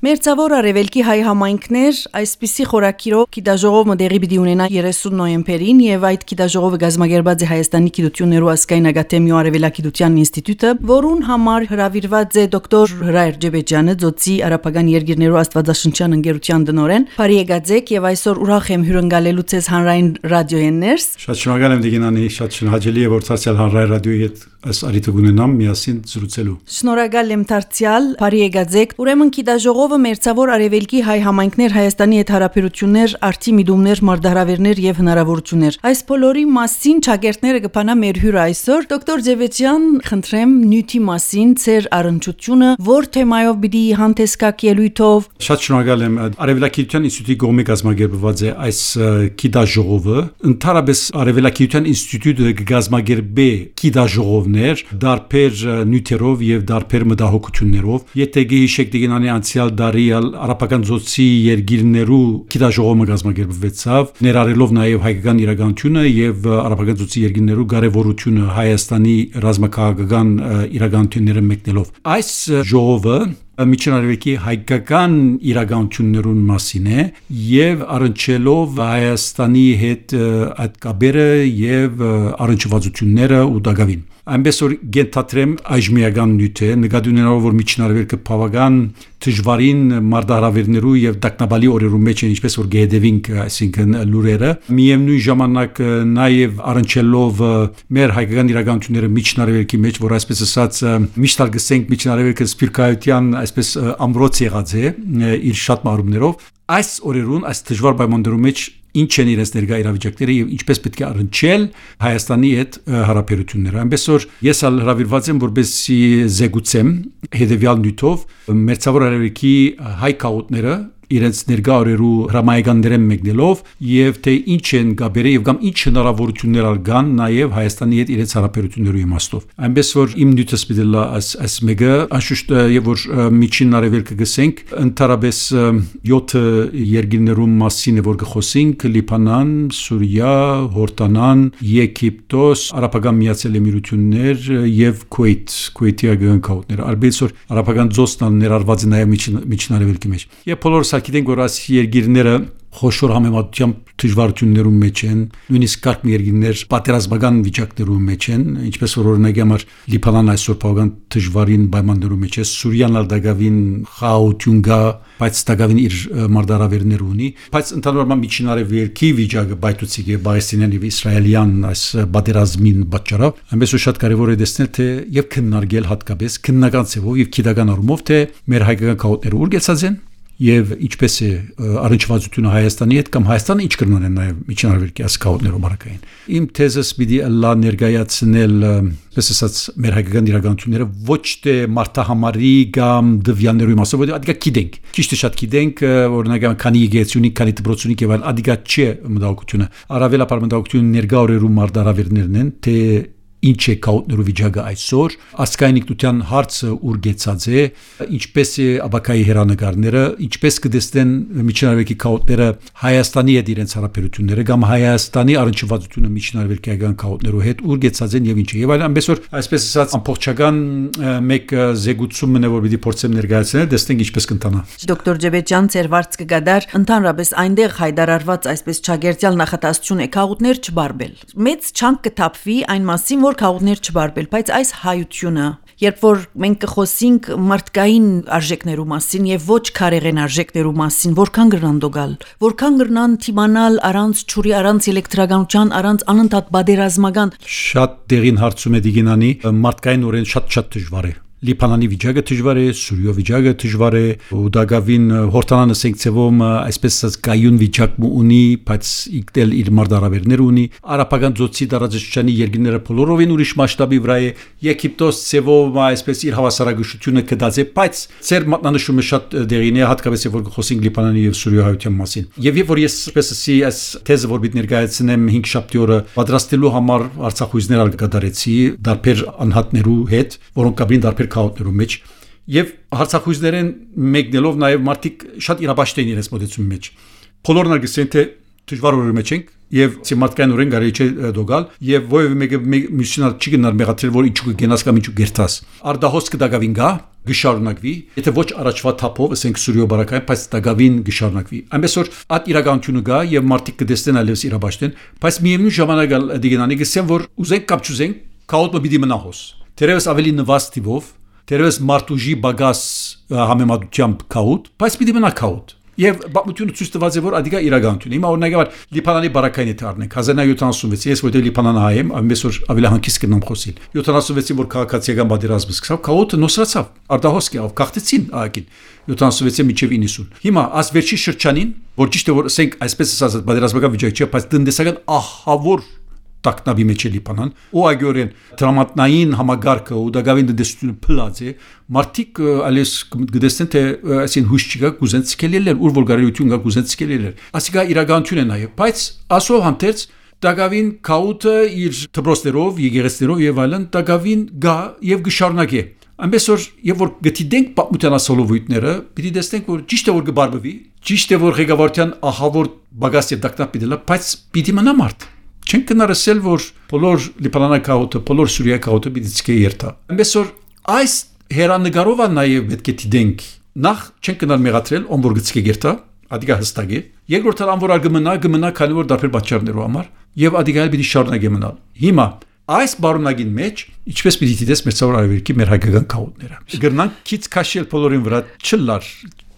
Մերձավոր Արևելքի հայ համայնքներ այսպիսի խորակիրով գիտաժողովը դեղի պիտի ունենա 30 նոյեմբերին եւ այդ գիտաժողովը գազմագերբած է Հայաստանի գիտություններու ազգային ակադեմիա Արևելագիտության ինստիտուտը, որուն համար հրավիրված է դոկտոր Հրայր Ջեբեջյանը, Ձոցի արաբական երկիրներու աստվածաշնչյան ընկերության տնօրեն։ Բարի եկած եւ այսօր ուրախ եմ հյուրընկալելու ցեզ հանրային ռադիոյեններս։ Շատ շնորհակալ եմ Դիգինանի, շատ շնորհակալի է որ ցածել հանրային ռադիոյի հետ այս արիթը գունենամ միասին զրուցելու։ Շնորհակալ եմ դարձյալ, բարի եկած։ Ուրեմն գիտաժողովը Մերձավոր Արևելքի հայ համայնքներ Հայաստանի հետ հարաբերություններ, արդի միտումներ, մարտահրավերներ եւ հնարավորություններ։ Այս բոլորի մասին ճագերտները կփանա մեր հյուրը այսօր։ Դոկտոր Ջեբեջյան, խնդրեմ նյութի մասին ծեր առնչությունը, որ թեմայով պիտի հանդես գաք ելույթով։ Շատ շնորհակալ եմ։ Արևելագիտության ինստիտուտի կողմից կազմակերպված է այս գիտաժողովը։ Ընդհանրապես Արևելագիտության ինստիտուտը կգազմակերպի գիտաժողովներ դարբեր նյութերով եւ դարբեր մտահոգություններով։ Եթե գիհիշեք Դիգինանի անցյալ դարի արաբական ծոցի երկիրներու գիտաժողովը կազմակերպվեցավ, ներառելով նաեւ հայկական իրականությունը եւ արաբական ծոցի երկիրներու կարեւորությունը Հայաստանի ռազմաքաղաքական իրականությունները մեկնելով։ Այս ժողովը Միջին Արևելքի հայկական իրականություններուն մասին է եւ առնչելով Հայաստանի հետ այդ կապերը եւ առնչվածությունները ու դակավին։ Այնպես որ գենթատրեմ այժմիական նյութ է, նկատի ունենալով որ Միջին Արևելքը բավական դժվարին մարտահրավերներու եւ տակնաբալի օրերու մեջ են, ինչպես որ գեհդեվինք, այսինքն լուրերը, միևնույն ժամանակ նաեւ առնչելով մեր հայկական իրականությունները Միջին Արևելքի մեջ, որ այսպես ասած միշտ արգսենք Միջին Արևելքը սփյուռքահայության այսպես ամրոց եղած է իր շատ մարումներով, այս օրերուն այս դժվար պայմաններու մեջ ինչ են իրենց ներկա իրավիճակները եւ ինչպես պետք է առնչել Հայաստանի հետ հարաբերությունները։ Այնպես որ ես հրավիրված եմ որպեսզի զեկուցեմ հետեւյալ նյութով Մերձավոր Արևելքի հայ քաղաքները իրենց ներկա օրերու հրամայականներեն մեկնելով եւ թե ինչ են գաբերը եւ կամ ինչ հնարավորություններ կան նաեւ Հայաստանի հետ իրենց հարաբերություններու իմաստով։ Այնպես որ իմ նյութը սպիտելա այս մեգա անշուշտ եւ որ Միջին Արևելքը գսենք ընդհանրապես 7 երկիրներու մասին է որ կխոսենք Լիբանան, Սուրիա, Հորդանան, Եգիպտոս, Արաբական Միացյալ Էմիրություններ եւ Քուվեյթի ագանքաուտներ։ Արբից որ արաբական ծոցն ներառված է նաեւ Միջին Արևելքի մեջ։ Եվ բոլորս գիտենք որ այս երկիրները խոշոր համեմատությամբ դժվարություններում մեջ են, նույնիսկ կարգ երկիրներ պատերազմական վիճակներում մեջ են, ինչպես որ օրինակի համար Լիբանան այսօր բավական դժվարին պայմաններում մեջ է, Սուրիան դակավին խաղաղություն կա, բայց դակավին իր մարտահրավերներ ունի, բայց ընդհանրապես Միջին Արևելքի վիճակը բայթուցիկ է Պաղեստինյան եւ իսրայելյան այս պատերազմին պատճառով, այնպես որ շատ կարեւոր է տեսնել թե եւ քննարկել հատկապես քննական ծավալով եւ քիդական առումով թե մեր հայկական քաղաքները ուր գեցած են եւ ինչպես է առնչվածությունը Հայաստանի հետ կամ Հայաստանը ինչ կրնան են նաեւ Միջին Արևելքի ասկաուտներով մարակային։ Իմ թեզս պիտի լա ներկայացնել պես ասած մեր հայկական իրականությունները ոչ թե մարտահամարի կամ դվյաններու մասով, որտեղ ադիգա գիտենք։ Ճիշտ է շատ գիտենք, օրինակ քանի եկեղեցունի, քանի դպրոցունի եւ այլ ադիգա չէ մտահոգությունը։ Առավելապար մտահոգությունը ներկա օրերու մարտահրավերներն են, թե ինչ է քաղաքներու վիճակը այսօր, ազգային ինքնության հարցը ուր գեցած է, ինչպես է աբակայի հերանեկարները, ինչպես կդեսնեն Միջին Արևելքի քաղաքները Հայաստանի հետ իրենց հարաբերությունները կամ Հայաստանի առնչվածությունը Միջին Արևելքի հայկական քաղաքներու հետ ուր գեցած են եւ ինչ է։ Եվ այլն, այնպես որ այսպես ասած ամբողջական մեկ զեկուցումն է որ պիտի փորձեմ ներկայացնել, տեսնենք ինչպես կընթանա։ Դոկտոր Ջեբեջյան, ծեր վարձ կգադար, ընդհանրապես այնտեղ հայտարարված այսպես ճագերտյալ նախատեսություն է քաղաքներ չբարբել։ Մեծ չանք կթափվի այն մասին, որ քաղաքներ չբարբել, բայց այս հայությունը, երբ որ մենք կխոսենք մարդկային արժեքներու մասին եւ ոչ քարեղեն արժեքներու մասին, որքան գրնան դոգալ, որքան գրնան թիմանալ առանց ճուրի, առանց էլեկտրականության, առանց անընդհատ բادرազմական։ Շատ դեղին հարցում է Դիգինանի, մարդկային օրեն շատ դժվար է։ Լիբանանի վիճակը դժվար է, Սուրիա վիճակը դժվար է, ու դակավին Հորդանանը սենքցեվում այսպես ասած կայուն վիճակ ունի, բայց իգտել իր մարտահրավերներ ունի, արաբական ծոցի տարածաշրջանի երկիրները բոլորովին ուրիշ մասշտաբի վրա է, Եգիպտոս ծևով այսպես իր հավասարակշռությունը կդած է, բայց ծեր մատնանշումը շատ դեղին է, հատկապես որ խոսենք Լիբանանի եւ Սուրիա հայության մասին։ Եվ որ ես այսպես ասի այս թեզը որ պիտի ներկայացնեմ 5 շաբթի օրը պատրաստելու համար արցախույզներ ալկադարեցի դարբեր անհատներու հետ, որոնք կապին դարբեր քաղաքներու մեջ եւ հարցախույզներեն մեկնելով նաեւ մարդիկ շատ իրաբաշտ են իրենց մոտեցումի մեջ։ Բոլորն արգսեն թե դժվար օրերի մեջ ենք, եւ ցեմատկային օրեն գարի չէ դոգալ եւ ովը մեկը միսիոնալ չի գնալ մեղացել որ իջու գնաս կամ իջու գերտաս արդահոսք դագավին գա գշարունակվի եթե ոչ առաջվա թափով ասենք սուրյո բարակային բայց դագավին գշարունակվի այնպես որ այդ իրականությունը գա եւ մարդիկ կդեսնեն այլևս իրաբաշտեն բայց միևնույն ժամանակ դիգենանի գսեն որ ուզենք կամ չուզենք քաոտը պիտի մնա հոս թերևս ավելի նվաստ տիպով թերևս մարտուժի բագաս համեմատությամբ քաոտ բայց պիտի մնա քաոտ Եվ բացությունը ցույց տված է որ ադիգա իրականություն։ Հիմա օրինակավոր Լիբանանի բարակայինի թարնենք 1976 ես որտեղ Լիբանան հայեմ, ամենից որ ավելի հանգիստ կնամ խոսիլ։ 76-ին որ քաղաքացիական պատերազմը սկսավ, քաոտը նոսրացավ։ Արդահոսքի ավ կախտեցին ահագին 76-ից մինչև 90։ Հիմա աս վերջի շրջանին, որ ճիշտ է որ ասենք այսպես ասած պատերազմական վիճակ չէ, բայց տնտեսական ահավոր տակնաբի մեջ է Լիբանան, ու այգորեն դրամատնային համագարկը ու դակավին դեսությունը փլած է, մարդիկ ալես գտեսեն թե այսին հույս չկա կուզեն ցկելել, ուր որ գարելություն կա կուզեն ցկելել։ Ասիկա իրականություն է նաև, բայց ասով հանդերձ դակավին քաուտը իր դպրոցներով, եկեղեցիներով եւ այլն դակավին գա եւ գշարունակե։ Այնպես որ եւ որ գտիդենք պատմության ասոլովույթները, պիտի տեսնենք որ ճիշտ է որ կբարբվի, ճիշտ է որ ղեկավարության ահավոր բագաս եւ դակնապ պիտի լա, բայց պիտի մնա մարդ։ Չենք կնարսել որ բոլոր լիբանանական քաոտը, բոլոր սուրիայի քաոտը պիտի ցկե երթա։ Այնպես որ այս հերանեկարով նաև պետք է դիտենք։ Նախ չենք կնար մեղադրել ում որ գցկե երթա, ադիգա հստակ է։ Երկրորդ ան որ գմնա, քանի որ դարբեր պատճառներով համար եւ ադիգա պիտի շարունակի մնալ։ Հիմա այս բարունագին մեջ ինչպես պիտի դիտես մեծավոր արևելքի մեր հայկական քաոտները։ Գրնանք քիչ քաշել բոլորին վրա չլար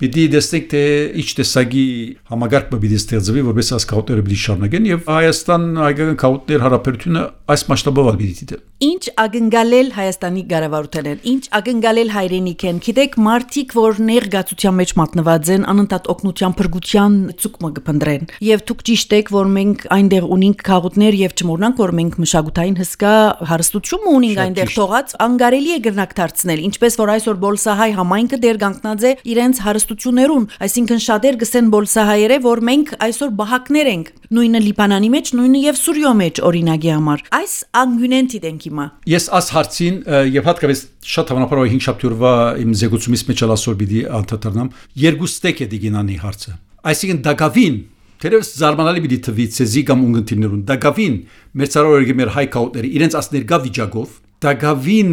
Պիտի դեսնենք թե ինչ տեսակի համագարկը պիտի ստեղծվի, որպես այս քաոտները պիտի շարունակեն եւ Հայաստան հայկական քաոտներ հարաբերությունը այս մասշտաբով պիտի դիտել։ Ինչ ակնկալել Հայաստանի կառավարութեն են, ինչ ակնկալել հայրենիք են, գիտեք մարդիկ, որ ներգացության մեջ մատնված են, անընդհատ օգնության փրկության ցուկմը կփնտրեն։ Եվ դուք ճիշտ եք, որ մենք այնտեղ ունենք քաոտներ եւ չմոռնանք, որ մենք մշակութային հսկա հարստություն ունենք այնտեղ թողած, անկարելի է գրնակ դարձնել, ինչպես որ այսօր Բոլսահայ համայնքը դեր կանգնած է իրենց հարստություններուն, այսինքն շատեր գսեն բոլսահայերը, որ մենք այսօր բահակներ ենք, նույնը Լիբանանի մեջ, նույնը եւ Սուրիո մեջ օրինակի համար։ Այս անգյունենտի դենք հիմա։ Ես աս հարցին եւ հատկապես շատ հավանաբար 5 շաբթյուրվա իմ զեկուցումից մեջ ասոր պիտի անդրադառնամ երկու ստեկ է դիգինանի հարցը։ Այսինքն դակավին թերևս զարմանալի պիտի թվի ցեզի կամ ունգընտիրներուն դակավին մեր ցարորը մեր հայ քաոտները իրենց աս ներգա վիճակով դակավին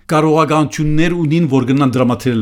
կարողականություններ ունին որ գնան դրամատել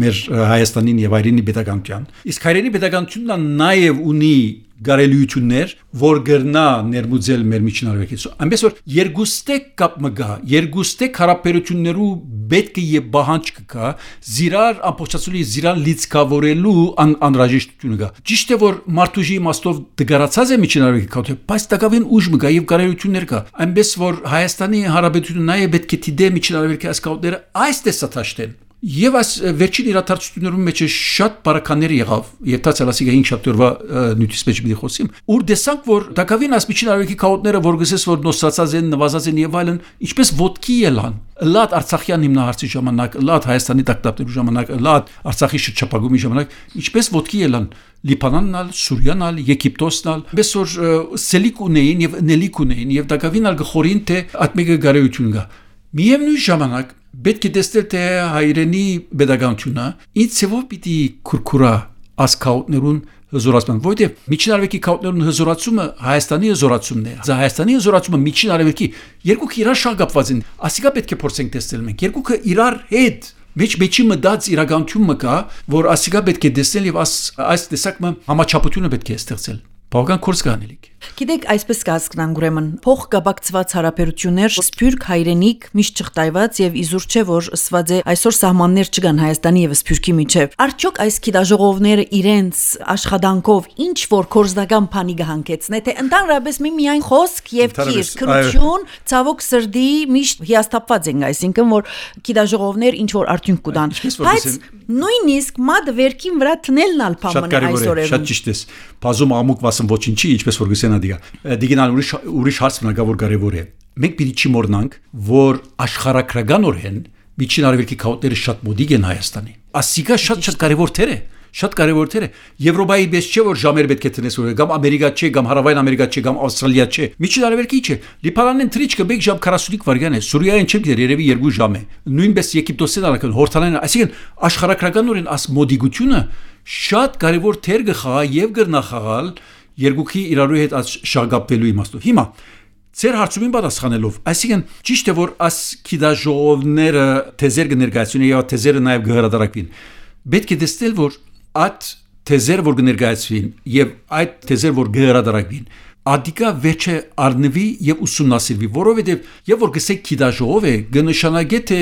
մեր Հայաստանին եւ այրենի պետականության իսկ հայրենի պետականությունն նաեւ ունի գարելիություններ որ գրնա ներմուծել մեր միջնարվեկից այնպես որ երկուստեք կապ մգա երկուստեք հարաբերություններու պետք է եւ բահանջ կա զիրար ամբողջացուլի զիրան լիցքավորելու անհրաժեշտությունը կա ճիշտ է որ մարտուժի իմաստով դգարացած է միջնարվեկի քաոթը բայց տակավին ուժ մգա եւ գարելիություններ կա այնպես որ Հայաստանի հարաբերությունը նաեւ պետք է դիտե միջնարվեկի այս քաոտները այս տեսաթաշտեն Եվ այս վերջին իրադարձություններում մեջ շատ բարականներ եղավ, եւ դա ցալասիգա 5 շաբթյուրվա նյութից մեջ մի խոսիմ, ուր դեսանք որ դակավին ասմիջին արևելքի քաոտները որ գսես որ նոսացած են, նվազած են եւ այլն, ինչպես ոդկի ելան։ Լատ Արցախյան հիմնահարցի ժամանակ, լատ Հայաստանի տակտապներու ժամանակ, լատ Արցախի շրջապագումի ժամանակ, ինչպես ոդկի ելան Լիբանանն, Սուրիան, Եգիպտոսն, այնպես որ սելիկ ունեին եւ նելիկ ունեին եւ դակավին ալգխորին թե ատմեգը գարեություն գա։ Միևնույն ժամանակ պետք է տեսնել թե հայրենի pedagogiությունը ինչ ծավալ պիտի քուրքուրա ասկաուտներուն հզորացման որտեղ միջին արևելքի քաուտներուն հզորացումը Հայաստանի հզորացումն է Հայաստանի հզորացումը միջին արևելքի երկուք իրար շահ կապված են ասիկա պետք է փորձենք տեսնել մենք երկուքը իրար հետ մեջի մտած իրականություն մկա որ ասիկա պետք է տեսնել եւ այս տեսակը համաչափությունը պետք է ստեղծել Բավական կորս կանելիք Գիտեք, այսպես կհասկանանք ուրեմն փող կապակցված հարաբերություններ սփյուռք հայրենիք միշտ չխտայված եւ իզուր չէ որ ըսված է այսօր սահմաններ չկան Հայաստանի եւ Սփյուռքի միջեւ արդյոք այս գիտաժողովները իրենց աշխատանքով ինչ որ կորզդական բանի կհանգեցնե թե ընդհանրապես միայն խոսք եւ քիր քրություն ցավոք սրդի միշտ հիասթափված են այսինքն որ գիտաժողովներ ինչ որ արդյունք կտան բայց նույնիսկ մադ վերքին վրա տնելն ալ փամն այսօր է շատ ճիշտ է բազում ամուկ վասն ոչինչի ինչպես որ գսեն դիգինալ ուրիշ հարց մնագավոր կարևոր է մենք պիտի չմոռնանք որ աշխարհակրականորեն միջին արևելքի քաոտները շատ մոդիկ են Հայաստանի ասիկա շատ կարևոր թեր է շատ կարևոր թեր է Եվրոպայի պես չէ որ ժամեր պետք է տնես որ կամ Ամերիկա չէ կամ Հարավային Ամերիկա չէ կամ Ավստրալիա չէ միջին արևելքի չէ Լիբանանն թրիչկը 1 ժամ 45 վայրկյան է Սուրիայեն չեմ գիտեր երևի 2 ժամ է նույնպես Եգիպտոսին արական հորթանային այսինքն աշխարհակրականորեն աս մոդիկությունը շատ կարևոր թեր գխա եւ գրնախաղալ երկուքի իրարու հետ շաղկապվելու իմաստով։ Հիմա Ձեր հարցումին պատասխանելով, այսինքն ճիշտ է որ այս քիդաժողովները թեզեր կներկայացնեն եւ թեզերը նաեւ կհրադարակվին։ Պետք է տեսնել որ այդ թեզեր որ կներկայացվին եւ այդ թեզեր որ կհրադարակվին, ադիկա վերջը առնվի եւ ուսումնասիրվի, որովհետեւ եւ որ գսեք քիդաժողով է, կնշանակե թե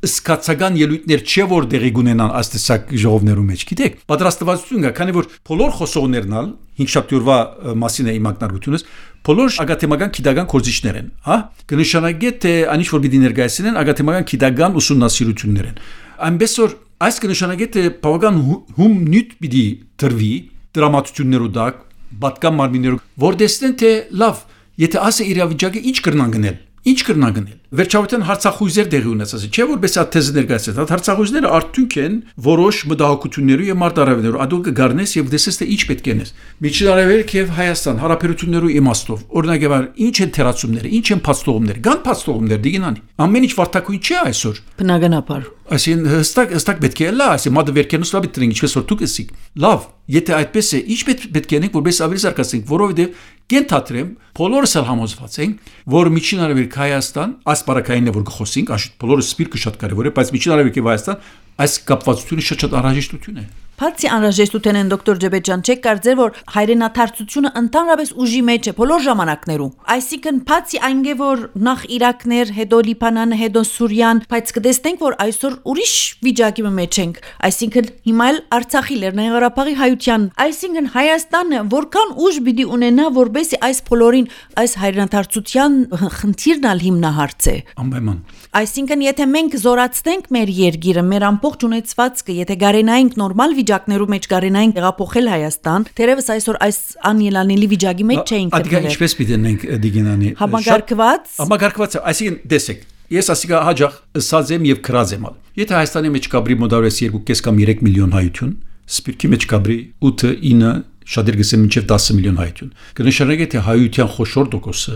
սկացական ելույթներ չէ որ դեղի կունենան աստեսակ ժողովներու մեջ, գիտեք։ Պատրաստվածություն կա, քանի որ բոլոր խոսողներն ալ 5-շաբթյուրվա մասին է իմ ակնարկությունս բոլոր ագաթեմական քիդական կորզիչներ են, հա? Կնշանակե թե անիշ որ պիտի ներկայացնեն ագաթեմական քիդական ուսումնասիրություններ են։ Այնպես որ այս կնշանակե թե բավական հում նյութ պիտի տրվի դրամատություններու դակ, պատկան մարմիններու, որ տեսնեն թե լավ, եթե ասը իրավիճակը ինչ կրնան գնել, ինչ կրնան գնել։ Վերջավորության հարցախույզեր դեղի ունեցած, չէ՞ որպես այդ թեզը ներկայացած, այդ հարցախույզները արդյունք են որոշ մտահոգություններու եւ մարտահրավերներու, ադուք կգարնես եւ դեսես թե ինչ պետք է նես։ Միջին Արևելք եւ Հայաստան հարաբերություններու իմաստով, օրինակ ինչ են թերացումները, ինչ են փաստողումները, կան փաստողումներ դիգինանի։ Ամեն ինչ վարդակույն չէ այսօր։ Բնականաբար։ Այսին հստակ պետք է լա, այսի մոդը վերքենուս լավ դրենք, ինչպես որ դուք ասիք։ Լավ, եթե այդպես է, ինչ պետք է անենք, որպես ավելի զարգացնենք, որովհետեւ կենթադրեմ, բոլորս էլ համոզված ենք, որ Միջին Արևելք Հայաստան, այս բարակայինն է որ գխոսենք, աշուտ բոլորը սպիրկը շատ կարևոր է, բայց Միջին Արևելք եւ Հայաստան այս կապվածությունը շատ անհրաժեշտություն է։ Բացի անհրաժեշտության են դոկտոր Ջեբեջան, չեք կարծեր որ հայրենաթարցությունը ընդհանրապես ուժի մեջ է բոլոր ժամանակներում։ Այսինքն բացի այնգե որ նախ Իրաքներ, հետո Լիբանան, հետո Սուրիան, բայց կտեսնենք որ այսօր ուրիշ վիճակի մեջ ենք։ Այսինքն հիմա էլ Արցախի Լեռնային Ղարաբաղի հայության, այսինքն Հայաստանը որքան ուժ պիտի ունենա որբեսի այս բոլորին այս հայրենաթարցության խնդիրն ալ հիմնահարց է։ Անպայման։ Այսինքն եթե մենք զորացնենք մեր երկիրը, մեր ամբողջ ունեցվածքը, եթե գարենայինք նորմալ վիճակներու մեջ գարենային տեղափոխել Հայաստան, թերևս այսօր այս անելանելի վիճակի մեջ չէինք գտնվել։ Ադիգա ինչպես պիտենենք դիգինանի։ Համագարկված, այսինքն տեսեք, ես ասիկա հաջող ըսած եմ եւ քրած եմ։ Եթե Հայաստանի մեջ կաբրի մոդարես 2.5 կամ 3 միլիոն հայություն, սպիրկի մեջ կաբրի 8-9 շատեր գսեն մինչև 10 միլիոն հայություն։ Կնշանակե թե հայության խոշոր տոկոսը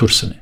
դուրսն է։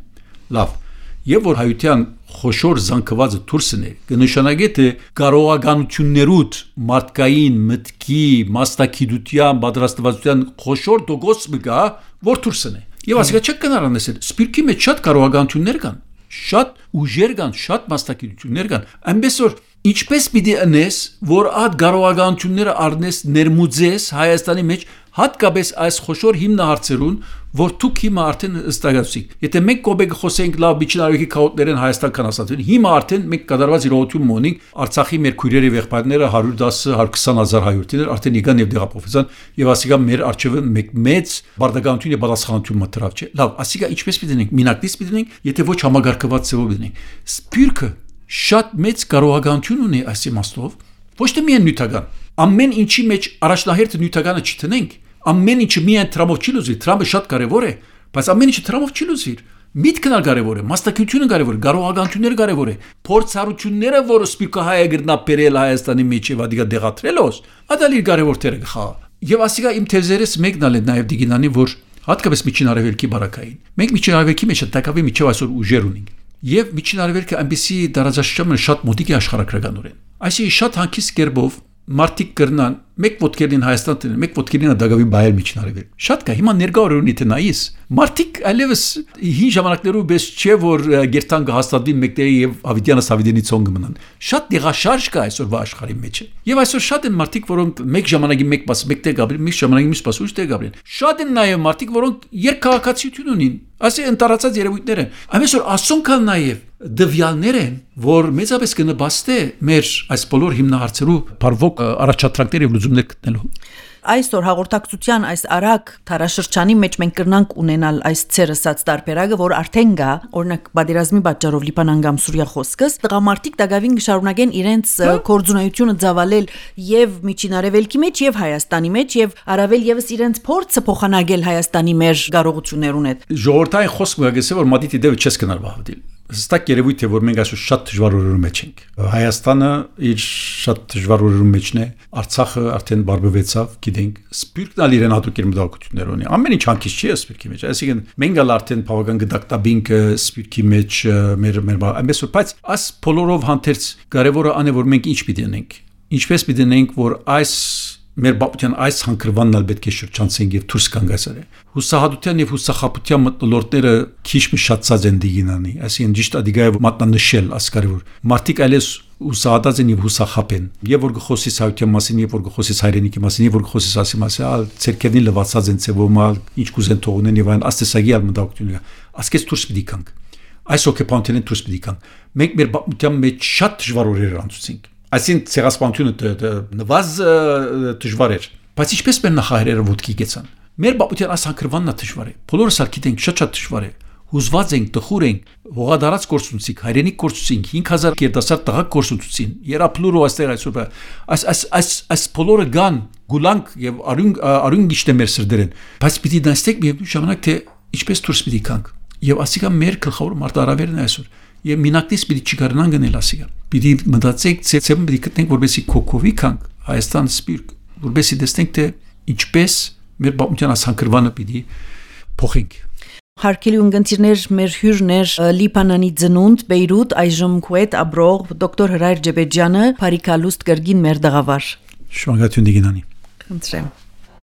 Լավ։ Եվ որ հայության խոշոր զանգվածը դուրսն է, կնշանակե թե կարողականություններուդ մարդկային մտքի, մասնակցության, պատրաստվածության խոշոր տոկոս մգա, որ դուրսն է։ Եվ ասիկա չեք կնարանեսել, սպիրկի մեջ շատ կարողականություններ կան, շատ ուժեր կան, շատ մասնակցություններ կան։ Այնպես որ ինչպես պիտի անես, որ այդ կարողականությունները առնես ներմուծես Հայաստանի մեջ հատկապես այս խոշոր հիմնահարցերուն, որ դուք հիմա արդեն ստացիք։ Եթե մենք կոբեկ խոսենք լավ Միջին Արևելքի քաոտներեն Հայաստան կանասատին, հիմա արդեն մենք կդարված իրողություն ունենք Արցախի մեր քույրերի եղբայրները 110-120,000 հայրենիներ արդեն եկան եւ դեղափոխվեցան եւ ասիկա մեր արժեվը մեծ բարդականություն եւ պատասխանատվություն մտրավ չէ։ Լավ, ասիկա ինչպես պիտի դնենք, մինակից պիտի դնենք, եթե ոչ համագարկված ծավալ դնենք։ Սպիրկը շատ մեծ կարողականություն ունի այս իմաստով, ոչ թե միայն նյութական։ Ամեն ինչի մեջ առաջնահերթը նյութականը չտնենք, ամեն ինչը միայն տրամով չի լուծվի, տրամը շատ կարևոր է, բայց ամեն ինչը տրամով չի լուծվի։ Միտքն ալ կարևոր է, մասնակցությունը կարևոր է, կարողականությունները կարևոր է, փորձառությունները, որը սպիրկը հայը գրնա բերել Հայաստանի մեջ եւ ադիգա դեղատրելոս, ադալի կարևոր տերը գխա։ Եվ ասիկա իմ թեզերից մեկն ալ է նաեւ դիգինանի, որ հատկապես Միջին Արևելքի բարակային։ Մենք Միջին Արևելքի մեջ տակավի միջև այսօր ուժեր ունենք։ Եվ Միջին Արևելքը այնպեսի դարաձաշրջանը շատ մոտիկ է աշխարհագրականորեն։ Այսինքն շատ հանգիստ կերպով մարդիկ կրնան մեկ ոտքերին Հայաստան տնեն, մեկ ոտքերին Դագավի բայել Միջին Արևելք։ Շատ կա, հիմա ներկա օրերունի թե նայիս։ Մարդիկ այլևս հին ժամանակներով բես չէ որ գերտան կհաստատվի մեկտերի եւ Հավիտյանը Սավիդենի ցոն կմնան։ Շատ դեղաշարժ կա այսօրվա աշխարհի մեջ։ Եվ այսօր շատ են մարդիկ, որոնք մեկ ժամանակի մեկ պաս մեկտեղ գաբրին, մեկ ժամանակի մյուս պաս ուժտեղ գաբրին։ Շատ են նաեւ մարդիկ, որոնք երկքաղաքացիություն ունին։ Ասի ընտարացած երևույթներ են։ Այնպես որ ասոնքալ նաեւ դվյալներ են, որ մեծապես կնպաստե մեր այս բոլոր հիմնահարցերու բարվոք առաջադրանքներ եւ լուծումներ գտնելու։ Այսօր հաղորդակցության այս արագ թարաշրջանի մեջ մենք կրնանք ունենալ այս ցերսած տարբերակը, որ արդեն գա, օրինակ բادرազմի պատճառով Լիբանան կամ Սուրիա խոսքս, տղամարդիկ դակավին կշարունակեն իրենց կորձունայությունը ծավալել եւ Միջին Արևելքի մեջ եւ Հայաստանի մեջ եւ առավել եւս իրենց փորձը փոխանակել Հայաստանի մեր կարողություններուն հետ։ Ժողովրդային խոսքը գսե որ մատիտի դեպը չես կնալ բավդիլ։ Հստակ երևույթ է, որ մենք այսօր շատ դժվար օրերու մեջ ենք։ Հայաստանը իր շատ դժվար օրերու մեջն է, Արցախը արդեն բարբվեցավ, գիտենք, սպիրկն ալ իրեն հատուկ իր մտահոգություններ ունի։ Ամեն ինչ հանգիստ չի սպիրկի մեջ։ Այսինքն մենք ալ արդեն բավական գդակտաբինք սպիրկի մեջ մեր այնպես որ բայց աս բոլորով հանդերձ կարևորը ան է որ մենք ինչ պիտի անենք։ Ինչպես պիտի անենք, որ այս մեր բապության այս հանգրվանն ալ պետք է շրջանցենք եւ դուրս գանք այսօր։ Հուսահատության եւ հուսախապության մտնոլորտները քիչ մի շատացած են դիգինանի, այսինքն ճիշտ ադիգայով մատնանշել ասկարիվոր։ Մարդիկ այլես հուսահատած են եւ հուսախապ են։ Եվ որ գխոսից հայության մասին, եւ որ գխոսից հայրենիքի մասին, եւ որ գխոսից ասի մասին, ալ ցերկերնի լվացած են ցեվոմալ, ինչ կուզեն թողնեն եւ այն աստեսագի ալ մտակցությունը։ Ասկես դուրս պիտի գանք։ Այս օկուպանտին դուրս պիտի գանք։ Մենք մեր բապության մեջ շատ դժվար օրեր անցուցինք։ Այսինքն ցեղասպանությունը նվազ դժվար էր, բայց ինչպես մեր նախահայրերը ոտքի գեցան։ Մեր բապության այս հանգրվանն է դժվար է։ Բոլորս ալ գիտենք շատ դժվար է։ Հուզված ենք, տխուր ենք, հողադարած կորցուցիկ, հայրենիք կորցուցինք, 5000 գերդասար տղա կորցուցին, երապլուրո այստեղ այսօր այս բոլորը գան, գուլանք եւ արյուն գիշտե մեր սրդերեն, բայց պիտի դաստեք մի ժամանակ թե ինչպես դուրս պիտի գանք։ Եվ ասիկա մեր գլխավոր մարտահրավերն է այսօր։ Եվ մինակնից պիտի չկարողանան գնել ասիկա։ Պիտի մտածենք, ցեցեմ պիտի գտնենք, որպեսզի կոկովի կանք Հայաստան սպիրտ, որպեսզի տեսնենք թե ինչպես մեր բապության ասանքրվանը պիտի փոխենք։ Հարկելի ունգընտիրներ, մեր հյուրներ Լիբանանի ծնունդ Բեյրութ այժմ Քուեթ ապրող դոկտոր Հրայր Ջեբեջյանը Փարիքալուստ կրգին մեր դղավար։ Շնորհակալություն դիգինանի։ Խնդրեմ։